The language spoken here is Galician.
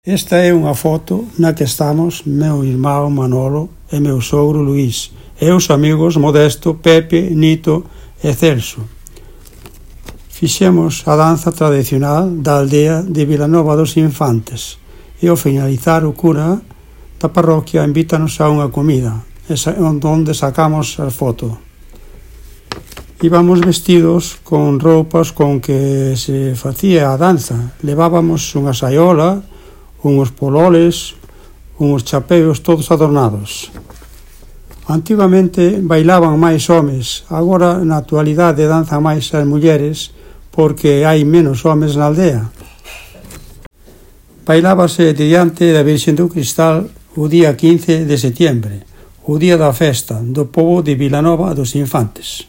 Esta é unha foto na que estamos meu irmão Manolo e meu sogro Luís e os amigos Modesto, Pepe, Nito e Celso. Fixemos a danza tradicional da aldea de Vilanova dos Infantes e ao finalizar o cura da parroquia invítanos a unha comida onde sacamos a foto. Íbamos vestidos con roupas con que se facía a danza. Levábamos unha saiola, uns pololes, uns chapeos todos adornados. Antigamente bailaban máis homes, agora na actualidade danzan máis as mulleres porque hai menos homes na aldea. Bailábase diante da Virxen do Cristal o día 15 de setiembre, o día da festa do pobo de Vilanova dos Infantes.